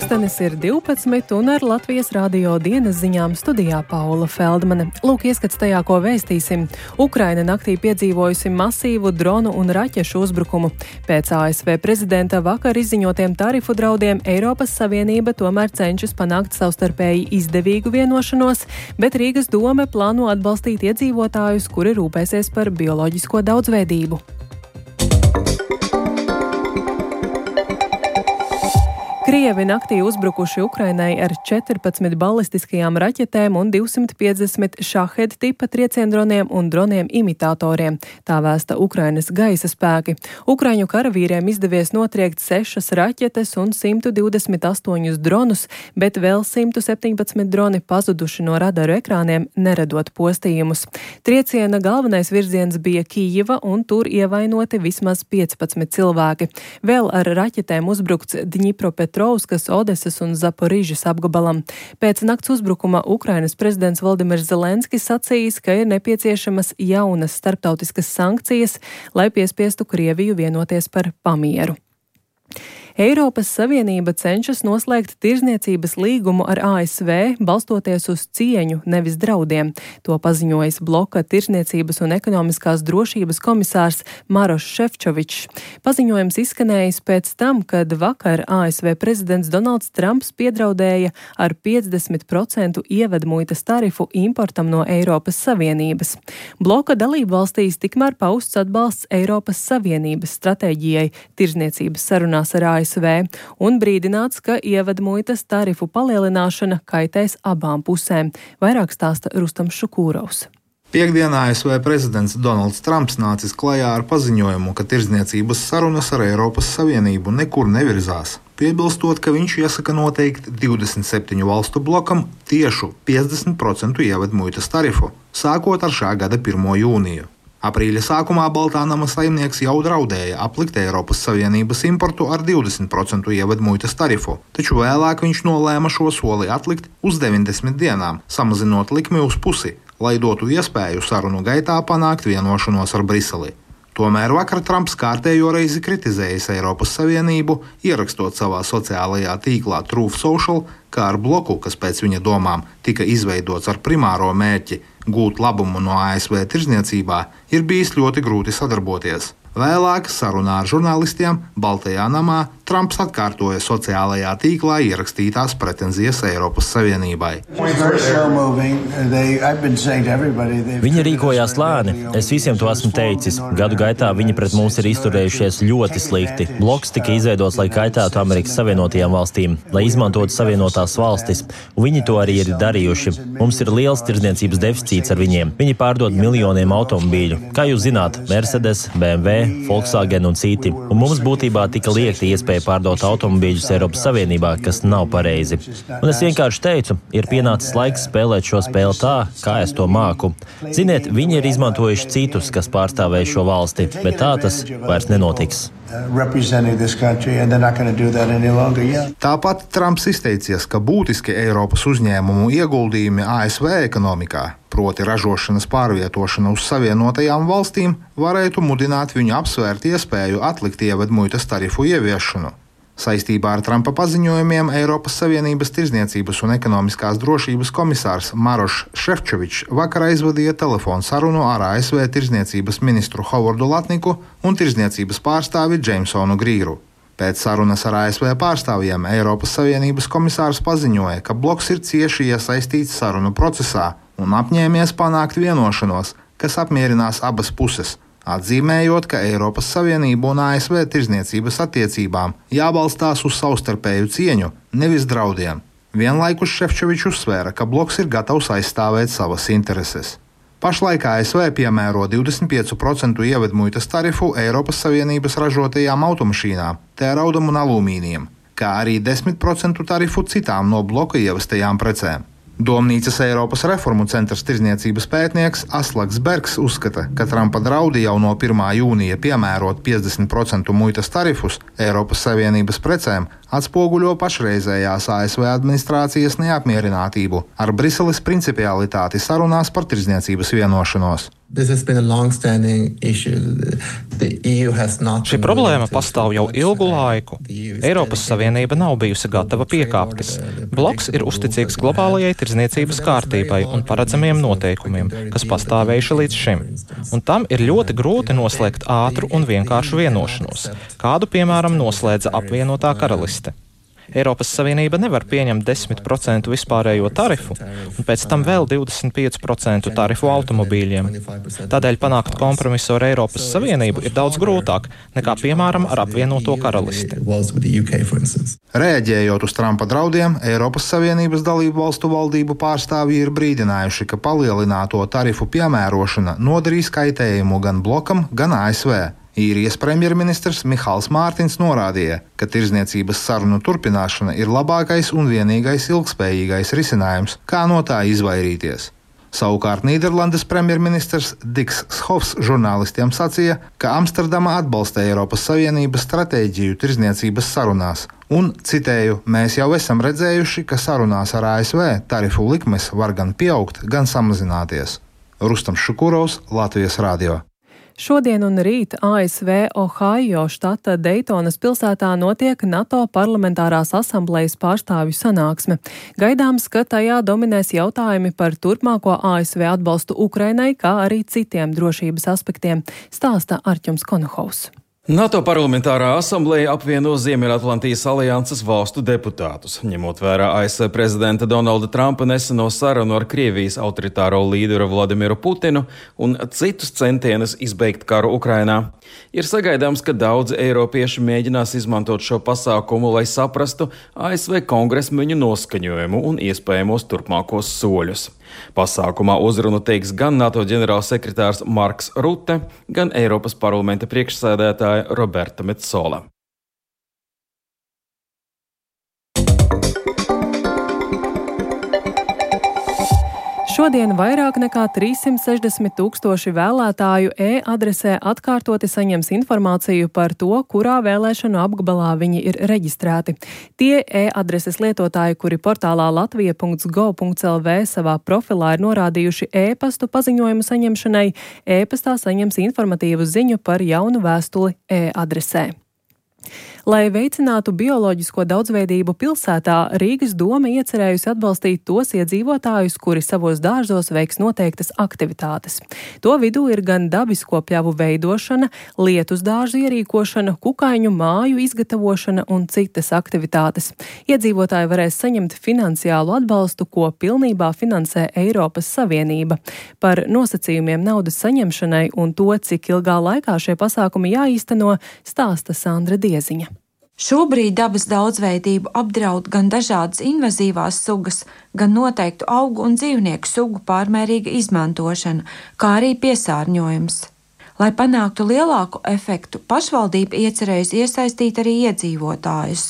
Pulkstenis ir 12 un ar Latvijas radio dienas ziņām studijā Paula Feldmane. Lūk, ieskats tajā, ko vēstīsim. Ukraina naktī piedzīvojusi masīvu dronu un raķešu uzbrukumu. Pēc ASV prezidenta vakar izziņotiem tarifu draudiem Eiropas Savienība tomēr cenšas panākt savstarpēji izdevīgu vienošanos, bet Rīgas dome plāno atbalstīt iedzīvotājus, kuri rūpēsies par bioloģisko daudzveidību. Krievi naktī uzbrukuši Ukrainai ar 14 balistiskajām raķetēm un 250 šahed tipa trieciendroniem un droniem imitatoriem. Tā vēsta Ukrainas gaisa spēki. Ukraiņu karavīriem izdevies notriekt 6 raķetes un 128 dronus, bet vēl 117 droni pazuduši no radaru ekrāniem, neredot postījumus. Trieciena galvenais virziens bija Kijiva un tur ievainoti vismaz 15 cilvēki. Vēl ar raķetēm uzbrukts Dņipropetrovskas, Odesas un Zaporižas apgabalam. Pēc nakts uzbrukuma Ukrainas prezidents Voldimirs Zelenskis sacījis, ka ir nepieciešamas jaunas starptautiskas sankcijas, lai piespiestu Krieviju vienoties par pamieru. Eiropas Savienība cenšas noslēgt tirzniecības līgumu ar ASV, balstoties uz cieņu, nevis draudiem. To paziņojis bloka tirzniecības un ekonomiskās drošības komisārs Marošs Šefčovičs. Paziņojums izskanējis pēc tam, kad vakar ASV prezidents Donalds Trumps piedraudēja ar 50% ievedmuitas tarifu importam no Eiropas Savienības. Bloka dalību valstīs tikmēr pausts atbalsts Eiropas Savienības stratēģijai tirzniecības sarunās ar ASV un brīdināts, ka ievedmuitas tarifu palielināšana kaitēs abām pusēm. Vairāk stāsta Rustams Šukūrovs. Piektdienā ASV prezidents Donalds Trumps nācis klajā ar paziņojumu, ka tirdzniecības sarunas ar Eiropas Savienību nekur nevirzās, piebilstot, ka viņš iesaka noteikt 27 valstu blokam tiešu 50% ievedmuitas tarifu, sākot ar šā gada 1. jūniju. Aprīļa sākumā Baltā nama saimnieks jau draudēja aplikt Eiropas Savienības importu ar 20% ievedmuitas tarifu, taču vēlāk viņš nolēma šo soli atlikt uz 90 dienām, samazinot likmi uz pusi, lai dotu iespēju sarunu gaitā panākt vienošanos ar Briseli. Tomēr vakar Trumps kārtējo reizi kritizējis Eiropas Savienību, ierakstot savā sociālajā tīklā Truth Social, kā ar bloku, kas pēc viņa domām tika izveidots ar primāro mērķi gūt labumu no ASV tirdzniecībā, ir bijis ļoti grūti sadarboties. Vēlāk sarunā ar žurnālistiem Baltajā namā Trumps atkārtoja sociālajā tīklā ierakstītās pretenzijas Eiropas Savienībai. Viņi rīkojās lēni. Es visiem to esmu teicis. Gadu gaitā viņi pret mums ir izturējušies ļoti slikti. Bloks tika izveidots, lai kaitētu Amerikas Savienotajām valstīm, lai izmantotu Savienotās valstis, un viņi to arī ir darījuši. Mums ir liels tirdzniecības deficīts ar viņiem. Viņi pārdod miljoniem automobīļu. Kā jūs zināt, Mercedes, BMW, Volkswagen un citi. Un mums būtībā tika liekta iespēja pārdot automobīļus Eiropas Savienībā, kas nav pareizi. Un es vienkārši teicu, ir pienācis laiks spēlēt šo spēli tā, kā es to māku. Ziniet, viņi ir izmantojuši citus, kas pārstāvēja šo valsti, bet tā tas vairs nenotiks. Tāpat Trumps izteicies, ka būtiski Eiropas uzņēmumu ieguldījumi ASV ekonomikā, proti ražošanas pārvietošana uz Savienotajām valstīm, varētu mudināt viņu apsvērt iespēju atlikt ievedmuitas tarifu ieviešanu. Saistībā ar Trumpa paziņojumiem Eiropas Savienības tirdzniecības un ekonomiskās drošības komisārs Marošs Šefčovičs vakar aizvadīja telefonu sarunu ar ASV tirdzniecības ministru Hovardu Latniku un tirdzniecības pārstāvi Džeimsonu Grīru. Pēc sarunas ar ASV pārstāvjiem Eiropas Savienības komisārs paziņoja, ka bloks ir cieši iesaistīts sarunu procesā un apņēmies panākt vienošanos, kas apmierinās abas puses, atzīmējot, ka Eiropas Savienība un ASV tirdzniecības attiecībām jābalstās uz savstarpēju cieņu, nevis draudiem. Vienlaikus Šefčovičs uzsvēra, ka bloks ir gatavs aizstāvēt savas intereses. Pašlaik ASV piemēro 25% ievedmuitas tarifu Eiropas Savienības ražotajām automašīnām, tēraudam un alumīnijam, kā arī 10% tarifu citām no bloka ievestajām precēm. Domnīcas Eiropas reformu centrs tirdzniecības pētnieks Aslaks Bergs uzskata, ka Trumpa draudi jau no 1. jūnija piemērot 50% muitas tarifus Eiropas Savienības precēm atspoguļo pašreizējās ASV administrācijas neapmierinātību ar Briseles principialitāti sarunās par tirdzniecības vienošanos. Šī problēma pastāv jau ilgu laiku. Eiropas Savienība nav bijusi gatava piekāpties. Bloks ir uzticīgs globālajai tirdzniecības kārtībai un paredzamiem noteikumiem, kas pastāvējuši līdz šim. Un tam ir ļoti grūti noslēgt ātru un vienkāršu vienošanos, kādu, piemēram, noslēdza apvienotā karaliste. Eiropas Savienība nevar pieņemt 10% vispārējo tarifu un pēc tam vēl 25% tarifu automobīļiem. Tādēļ panākt kompromisu ar Eiropas Savienību ir daudz grūtāk nekā, piemēram, ar apvienoto karalisti. Reaģējot uz Trumpa draudiem, Eiropas Savienības dalību valstu valdību pārstāvji ir brīdinājuši, ka palielināto tarifu piemērošana nodarīs kaitējumu gan blokam, gan ASV. Īrijas premjerministrs Mihals Mārtiņš norādīja, ka tirdzniecības sarunu turpināšana ir labākais un vienīgais ilgspējīgais risinājums, kā no tā izvairīties. Savukārt Nīderlandes premjerministrs Diks Schofs žurnālistiem sacīja, ka Amsterdama atbalsta Eiropas Savienības stratēģiju tirdzniecības sarunās, un, citēju, mēs jau esam redzējuši, ka sarunās ar ASV tarifu likmes var gan pieaugt, gan samazināties. Rustams Šukurovs, Latvijas radio. Šodien un rīt ASV Ohio štata Deitonas pilsētā notiek NATO parlamentārās asamblejas pārstāvju sanāksme. Gaidāms, ka tajā dominēs jautājumi par turpmāko ASV atbalstu Ukrainai, kā arī citiem drošības aspektiem, stāsta Arķums Konohovs. NATO parlamentārā asambleja apvieno Ziemeļatlantijas alianses valstu deputātus, ņemot vērā ASV prezidenta Donalda Trumpa neseno sarunu ar Krievijas autoritāro līderu Vladimiru Putinu un citus centienus izbeigt karu Ukrainā. Ir sagaidāms, ka daudzi eiropieši mēģinās izmantot šo pasākumu, lai saprastu ASV kongresmeņu noskaņojumu un iespējamos turpmākos soļus. Pasākumā uzrunu teiks gan NATO ģenerālsekretārs Marks Rutte, gan Eiropas parlamenta priekšsēdētāja Roberta Metsola. Šodien vairāk nekā 360 000 vēlētāju e-adresē atkārtoti saņems informāciju par to, kurā vēlēšanu apgabalā viņi ir reģistrēti. Tie e-adreses lietotāji, kuri portālā latvija.gov.lv savā profilā ir norādījuši e-pastu paziņojumu saņemšanai, e-pastā saņems informatīvu ziņu par jaunu vēstuli e-adresē. Lai veicinātu bioloģisko daudzveidību pilsētā, Rīgas doma iecerējusi atbalstīt tos iedzīvotājus, kuri savos dārzos veiks noteiktas aktivitātes. To vidū ir gan dabisko pļavu veidošana, lietus dārzu ierīkošana, kukaiņu māju izgatavošana un citas aktivitātes. Iedzīvotāji varēs saņemt finansiālu atbalstu, ko pilnībā finansē Eiropas Savienība. Par nosacījumiem naudas saņemšanai un to, cik ilgā laikā šie pasākumi jāīsteno, stāsta Sandra Dieziņa. Šobrīd dabas daudzveidību apdraud gan dažādas invazīvās sugas, gan noteiktu augu un dzīvnieku sugu pārmērīga izmantošana, kā arī piesārņojums. Lai panāktu lielāku efektu, pašvaldība iecerējusi iesaistīt arī iedzīvotājus.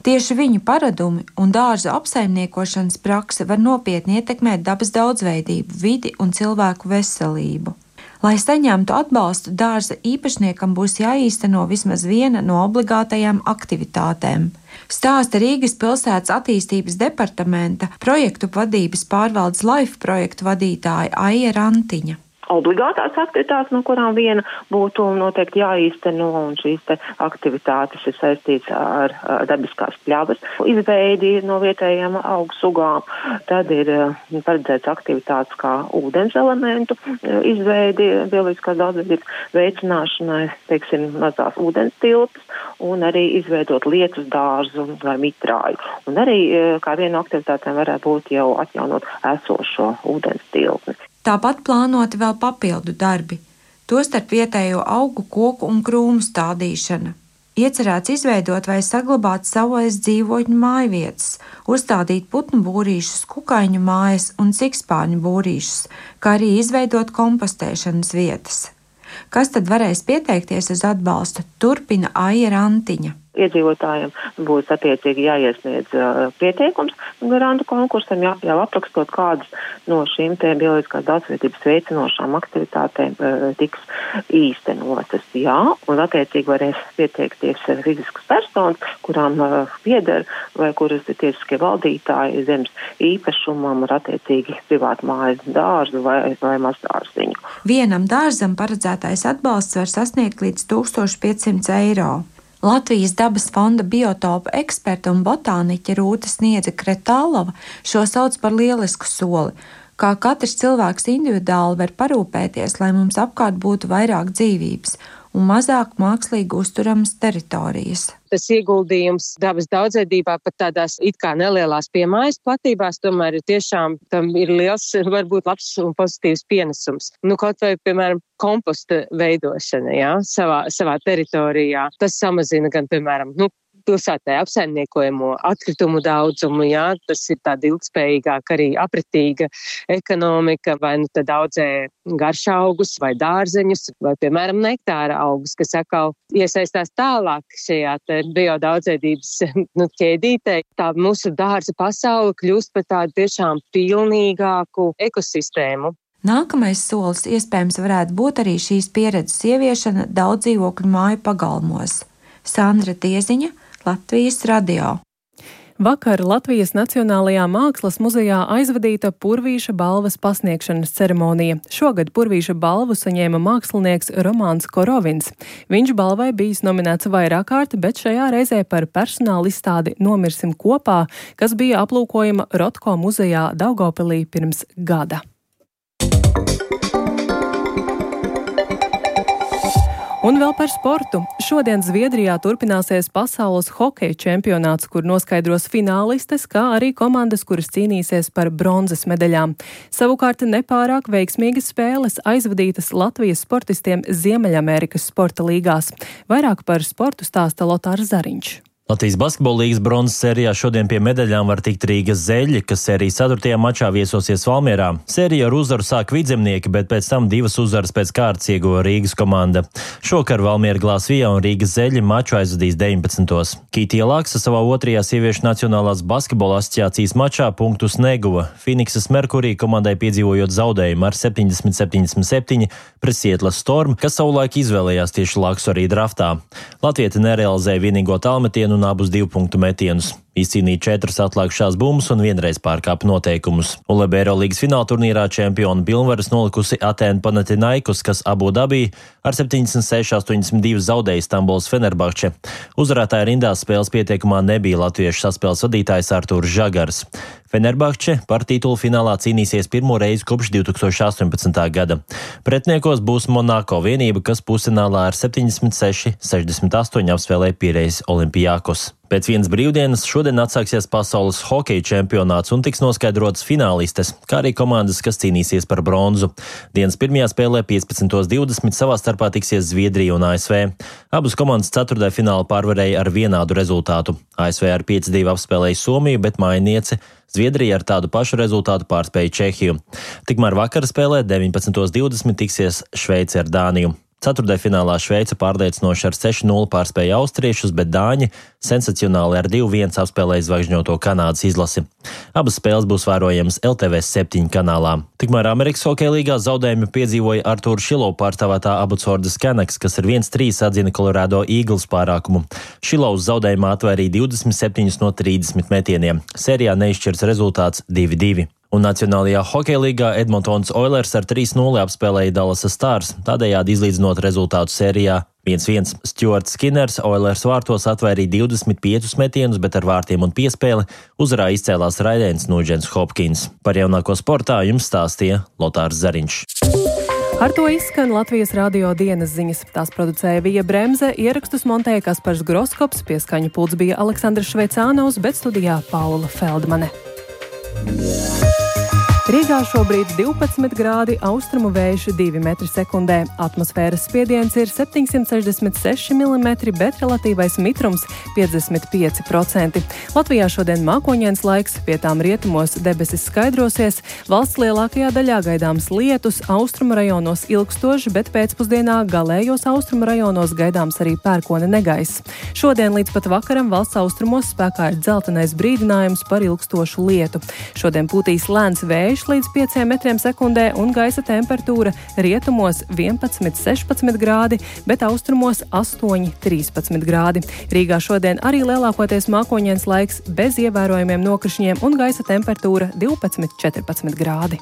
Tieši viņu paradumi un dārza apsaimniekošanas prakse var nopietni ietekmēt dabas daudzveidību, vidi un cilvēku veselību. Lai saņemtu atbalstu, dārza īpašniekam būs jāīsteno vismaz viena no obligātajām aktivitātēm. Stāsta Rīgas pilsētas attīstības departamenta projektu vadības pārvaldes LIFE projektu vadītāja Aija Rantiņa. Obligātās aktivitātes, no kurām viena būtu noteikti jāīsteno, un šīs aktivitātes ir saistīts ar dabiskās pļavas izveidi no vietējām augu sugām. Tad ir paredzēts aktivitātes kā ūdens elementu izveidi, bioloģiskās daudzveidības veicināšanai, teiksim, mazās ūdens tilpes, un arī izveidot lietus dārzu vai mitrāju. Un arī kā viena no aktivitātēm varētu būt jau atjaunot esošo ūdens tilpni. Tāpat plānoti vēl papildu darbi, tostarp vietējo augu, koku un krūmu stādīšana. Iecerēts izveidot vai saglabāt savvaļas dzīvotņu mājvietas, uzstādīt putnu būrīšus, kukaiņu mājas un cikspārņu būrīšus, kā arī izveidot kompostēšanas vietas. Kas tad varēs pieteikties uz atbalstu, turpina Aija Rantiņa. Iedzīvotājiem būs attiecīgi jāiesniedz pieteikums grantu konkursam, jau aprakstot kādas no šīm te bioloģiskās daudzveidības veicinošām aktivitātēm tiks īstenotas. Jā, un attiecīgi varēs pieteikties fiziskas personas, kurām pieder vai kuras ir tiesiskie valdītāji zemes īpašumam ar attiecīgi privātu mājas dārzu vai mazdārziņu. Vienam dārzam paredzētais atbalsts var sasniegt līdz 1500 eiro. Latvijas dabas fonda biotopa eksperta un botāniķe Rūta Sniedze Kretālova šo sauc par lielisku soli, kā katrs cilvēks individuāli var parūpēties, lai mums apkārt būtu vairāk dzīvības un mazāk mākslīgi uzturamas teritorijas. Tas ieguldījums dabas daudzveidībā pat tādās it kā nelielās piemājas platībās, tomēr tiešām tam ir liels, varbūt labs un pozitīvs pienesums. Kaut vai, piemēram, komposta veidošana, savā teritorijā. Tas samazina gan, piemēram, pilsētē apsaimniekojamo atkritumu daudzumu, tas ir tāda ilgspējīgāka arī apretīga ekonomika, vai tad audzē garšaugus vai dārzeņus, vai, piemēram, nektāra augus, kas atkal iesaistās tālāk šajā biodaudzveidības ķēdītē. Tā mūsu dārza pasaule kļūst par tādu tiešām pilnīgāku ekosistēmu. Nākamais solis iespējams varētu būt arī šīs pieredzes ieviešana daudz dzīvokļu māju pagalmos. Sandra Tieziņa, Latvijas radio. Vakar Latvijas Nacionālajā mākslas muzejā aizvadīta Purvīša balvas pasniegšanas ceremonija. Šogad Purvīša balvu saņēma mākslinieks Romāns Korovins. Viņš balvai bijis nominēts vairāk kārt, bet šajā reizē par personāla izstādi Nomirsim kopā, kas bija aplūkojama Rotko muzejā Daugavpilī pirms gada. Un vēl par sportu. Šodien Zviedrijā turpināsies pasaules hokeja čempionāts, kur noskaidros finālistes, kā arī komandas, kuras cīnīsies par bronzas medaļām. Savukārt nepārāk veiksmīgas spēles aizvadītas Latvijas sportistiem Ziemeļamerikas sporta līgās. Vairāk par sportu stāsta Lotārs Zariņš. Latvijas basketbola līgas bronzas sērijā šodien pie medaļām var tikt Rīgas Zeļi, kas sērijas 4. mačā viesosies Valmierā. Sēriju ar uzvaru sāk Vidzemnieki, bet pēc tam 2 uzvaras pēc kārtas ieguva Rīgas komanda. Šokar Valmiera Glāzvijā un Rīgas Zeļi maču aizvadīs 19. Kītija Laksa savā 2. sieviešu Nacionālās basketbola asociācijas mačā punktus neguva. Finiksas Merkurī komandai piedzīvojot zaudējumu ar 70-77 pret Sietlas Storm, kas savulaik izvēlējās tieši Laksu arī draftā. Latvieti nerealizēja vienīgo tālmetienu un abus 2 punktu metienus. Izcīnīja 4 atlikušās bumbas un vienreiz pārkāpa noteikumus. ULEB Eirolīgas fināla turnīrā čempionu pilnvaras nolikusi Atēnu Panathinaikos, kas Abu Dabī ar 76-82 zaudēja Stambulas Fenerbahče. Uzvarētāja rindās spēles pieteikumā nebija latviešu saspēles vadītājs Artūrs Žagars. Fenerbahče par titulu finālā cīnīsies pirmo reizi kopš 2018. gada. Pretniekos būs Monako vienība, kas pusfinālā ar 76-68 apspēlēja Pirejas Olimpijakos. Pēc vienas brīvdienas šodien atsāksies pasaules hokeja čempionāts un tiks noskaidrotas finālistes, kā arī komandas, kas cīnīsies par bronzu. Dienas pirmajā spēlē 15:20 savā starpā tiksies Zviedrija un ASV. Abas komandas 4. finālu pārvarēja ar vienādu rezultātu. ASV ar 5-2 apspēlēja Somiju, bet mājiniece Zviedrija ar tādu pašu rezultātu pārspēja Čehiju. Tikmēr vakara spēlē 19:20 tiksies Šveice ar Dāniju. 4. finālā Šveice pārliecinoši ar 6-0 pārspēja austriešus, bet dāņi sensacionāli ar 2-1 apspēlēja zvaigžņoto Kanādas izlasi. Abas spēles būs vērojamas LTV 7 kanālā. Tikmēr Amerikas hokeja līgā zaudējumi piedzīvoja Artūra Šilovs pārstāvētā Abbotsfordas Canucks, kas ar 1-3 atzina Colorado Eagles pārākumu. Šilovs zaudējumā atvairīja 27 no 30 metieniem. Sērijā neizšķirs rezultāts 2-2. Un Nacionālajā hokeja līgā Edmontons Oilers ar 3-0 apspēlēja Dallas Stars, tādējādi izlīdzinot rezultātu sērijā 1-1. Stuarts Skinners Oilers vārtos atvairīja 25 metienus, bet ar vārtiem un piespēli uzvarā izcēlās Raidens Nugents Hopkins. Par jaunāko sportā jums stāstīja Lotārs Zariņš. Ar to izskan Latvijas radio dienas ziņas. Tās producēja Vija Bremze, ierakstus montēja Kaspars Groskops, pie skaņu pults bija Aleksandrs Šveicānovs, bet studijā Paula Feldmane. Rīgā šobrīd 12 grādi, austrumu vējš 2 metri sekundē. Atmosfēras spiediens ir 766 mm, bet relatīvais mitrums 55%. Latvijā šodien mākoņains laiks, pie tām rietumos debesis skaidrosies, valsts lielākajā daļā gaidāms lietus, austrumu rajonos ilgstoši, bet pēcpusdienā galējos austrumu rajonos gaidāms arī pērkona negaiss. Šodien līdz pat vakaram valsts austrumos spēkā ir dzeltenais brīdinājums par ilgstošu lietu. Šodien pūtīs lēns vējš līdz 5 metriem sekundē un gaisa temperatūra rietumos 11-16 grādi, bet austrumos 8-13 grādi. Rīgā šodien arī lielākoties mākoņains laiks bez ievērojumiem nokrišņiem un gaisa temperatūra 12-14 grādi.